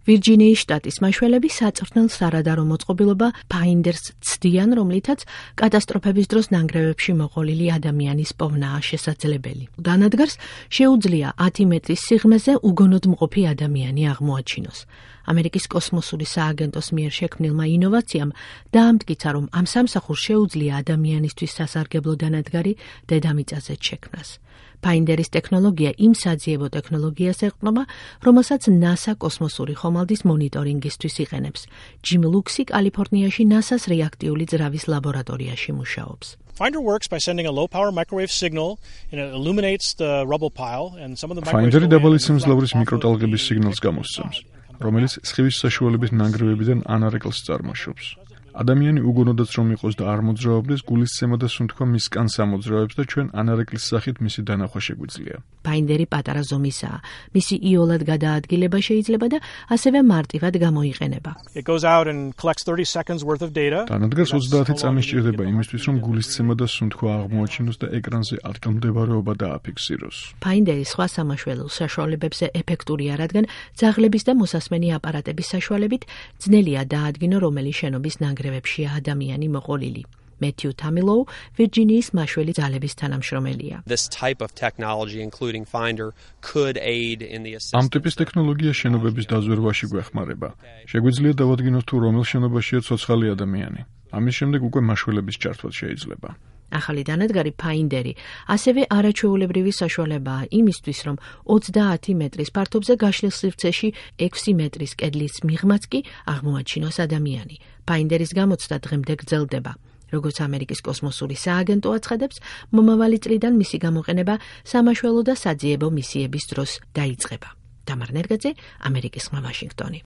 ვირჯინიის შტატის მაშველები საწვრთნელ სარადარო მოწყობილობა Finders ცდიან, რომლითაც კატასტროფების დროს ნანგრევებში მოყოლილი ადამიანის პოვნაა შესაძლებელი. დანადგარს შეუძლია 10 მეტრის სიღრმეზე უგონოდ მყოფი ადამიანი აღმოაჩინოს. ამერიკის კოსმოსური სააგენტოს მიერ შექმნილმა ინოვაციამ დაამტკიცა, რომ ამ სამსახურს შეუძლია ადამიანისთვის სასარგებლო დანადგარი დედამიწაზე შექმნას. Finderis ტექნოლოგია იმ საძიებო ტექნოლოგიას ეყრდნობა, რომელსაც NASA კოსმოსური ხომალდის მონიტორინგისთვის იყენებს. ჯიმ ლუქსი კალიფორნიაში NASA-ს რეაქტიული ძრავის ლაბორატორიაში მუშაობს. Finder works by sending a low-power microwave signal and it illuminates the rubble pile and some of the Finderi დაბალი სიმძლავრის მიკროტალღების სიგნალს გამოსცემს, რომელიც სხივის საშუალებით ნანგრევებიდან ანარეკლს წარმოშობს. ადამიანი უგონოდაც რომ იყოს და არ მოძრაობდეს, გულისცემა და სუნთქვა მისკან სამოძრაოებს და ჩვენ ანარეკლის სახით მისი დანახვა შეგვიძლია. Finderi პატარა ზომისაა. მისი იოლად გადაადგილება შეიძლება და ასევე მარტივად გამოიყენება. It goes out and collects 30 seconds worth of data. დანადგარს 30 წამი სჭირდება იმისთვის, რომ გულისცემა და სუნთქვა აღმოაჩინოს და ეკრანზე ადგილმდებარეობა დააფიქსიროს. Finderi სხვა სამაშველო საშუალებებზე ეფექტურია, რადგან ძაღლების და მოსასმენი აპარატების საშუალებით ძნელია დაადგინო, რომელი შენობის ნანგრევებშია ადამიანი მოყოლილი. Matthew Tamilou, ვირჯინიის მაშველი ძალების თანამშრომელია. This type of technology, including Finder, could aid in the assistance. ამ ტიპის ტექნოლოგია შენობების დაზვერვაში გვეხმარება. შეგვიძლია დავადგინოთ თუ რომელ შენობაშია ცოცხალი ადამიანი. ამის შემდეგ უკვე მაშველების ჩართვაც შეიძლება. ახალი დანადგარი Finderi ასევე არაჩვეულებრივი საშუალებაა იმისთვის, რომ 30 მეტრის ფართობზე გაშლილ სივრცეში 6 მეტრის კედლის მიღმაც კი აღმოაჩინოს ადამიანი. Finderis გამოცდა დღემდე გრძელდება. როგორც ამერიკის კოსმოსური სააგენტო აცხადებს, მომავალი წლიდან მისი გამოყენება სამაშველო და საძიებო მისიების დროს დაიწყება. დამარ ნერგაძე, ამერიკის ხმა, ვაშინგტონი.